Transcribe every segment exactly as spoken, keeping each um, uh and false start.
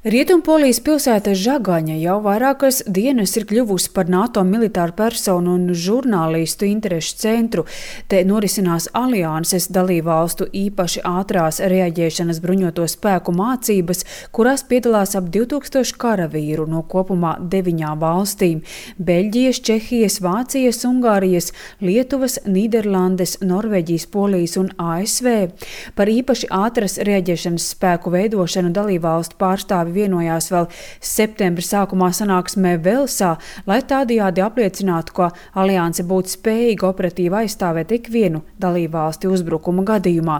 Rietumpolijas pilsēta Žagaņa jau vairākas dienas ir kļuvusi par NATO militāru personu un žurnālistu interešu centru. Te norisinās alianses dalībvalstu īpaši ātrās reaģēšanas bruņoto spēku mācības, kurās piedalās ap divtūkstoši karavīru no kopumā deviņām valstīm – Beļģijas, Čehijas, Vācijas, Ungārijas, Lietuvas, Nīderlandes, Norvēģijas, Polijas un A S V. Par īpaši ātras reaģēšanas spēku veidošanu dalībvalstu pārstāvi vienojās vēl septembra sākumā sanāksmē Velsā, lai tādējādi apliecinātu, ka alianse būtu spējīga operatīvi aizstāvēt ikvienu dalībvalsti uzbrukuma gadījumā.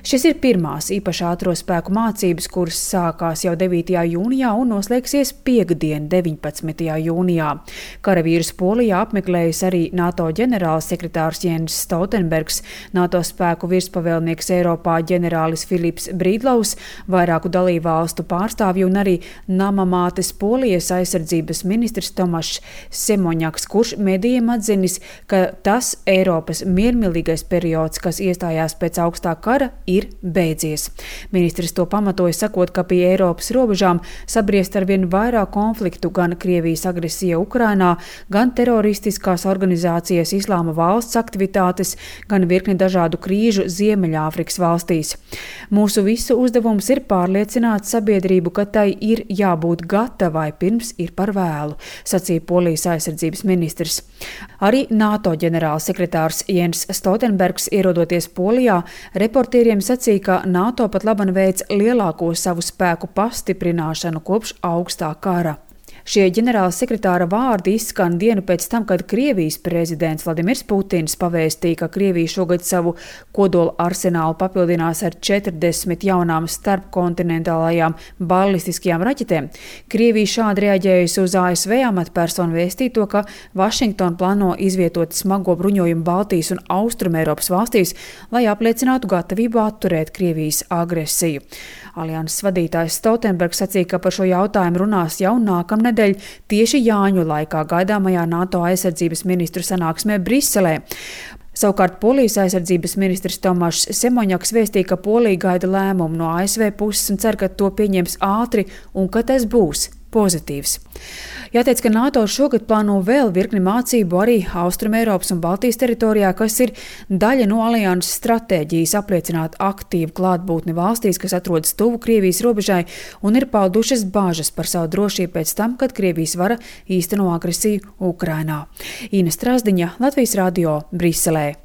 Šis ir pirmās īpaši ātro spēku mācības, kuras sākās jau devītajā jūnijā un noslēgsies piektdien, deviņpadsmitajā jūnijā. Karavīrus Polijā apmeklējis arī NATO ģenerālsekretārs Jens Stoltenbergs, NATO spēku virspavēlnieks Eiropā ģenerālis Filips Brīdlaus, vairāku dalībvalstu pārstāvju un arī namamātes Polijas aizsardzības ministrs Tomašs Semoņaks, kurš medijiem atzinis, ka tas Eiropas miermīlīgais periods, kas iestājās pēc augstā kara, ir beidzies. Ministrs to pamatoja sakot, ka pie Eiropas robežām sabriest arvien vairāk konfliktu, gan Krievijas agresija Ukrainā, gan teroristiskās organizācijas Islāma valsts aktivitātes, gan virkni dažādu krīžu Ziemeļāfrikas valstīs. Mūsu visu uzdevums ir pārliecināt sabiedrību, ka tai ir jābūt gatavai pirms ir par vēlu, sacīja Polijas aizsardzības ministrs. Arī NATO ģenerālsekretārs Jens Stoltenbergs, ierodoties Polijā, reportieriem sacīja, ka NATO pat laban veic lielāko savu spēku pastiprināšanu kopš augstā kara. Šie ģenerāla sekretāra vārdi izskan dienu pēc tam, kad Krievijas prezidents Vladimirs Putins pavēstīja, ka Krievija šogad savu kodola arsenālu papildinās ar četrdesmit jaunām starpkontinentālajām balistiskajām raķetēm. Krievija šādi reaģējusi uz A S V amatpersonu vēstīto, ka Vašingtona plāno izvietot smago bruņojumu Baltijas un Austrumeiropas valstīs, lai apliecinātu gatavību atturēt Krievijas agresiju. Alianses vadītājs Stoltenbergs sacīja, ka par šo jautājumu runās jau nākamnedēļ tieši Jāņu laikā gaidāmajā NATO aizsardzības ministru sanāksmē Briselē. Savukārt Polijas aizsardzības ministrs Tomašs Semoņaks vēstīja, ka Polija gaida lēmumu no A S V puses un cer, ka to pieņems ātri un ka tas būs pozitīvs. Jāteic, ka NATO šogad plāno vēl virkni mācību arī Austrumeiropas un Baltijas teritorijā, kas ir daļa no alianses stratēģijas apliecināt aktīvu klātbūtni valstīs, kas atrodas tuvu Krievijas robežai un ir paudušas bāžas par savu drošību pēc tam, kad Krievijas vara īsteno agresiju Ukrainā. Ina Strazdiņa, Latvijas radio, Briselē.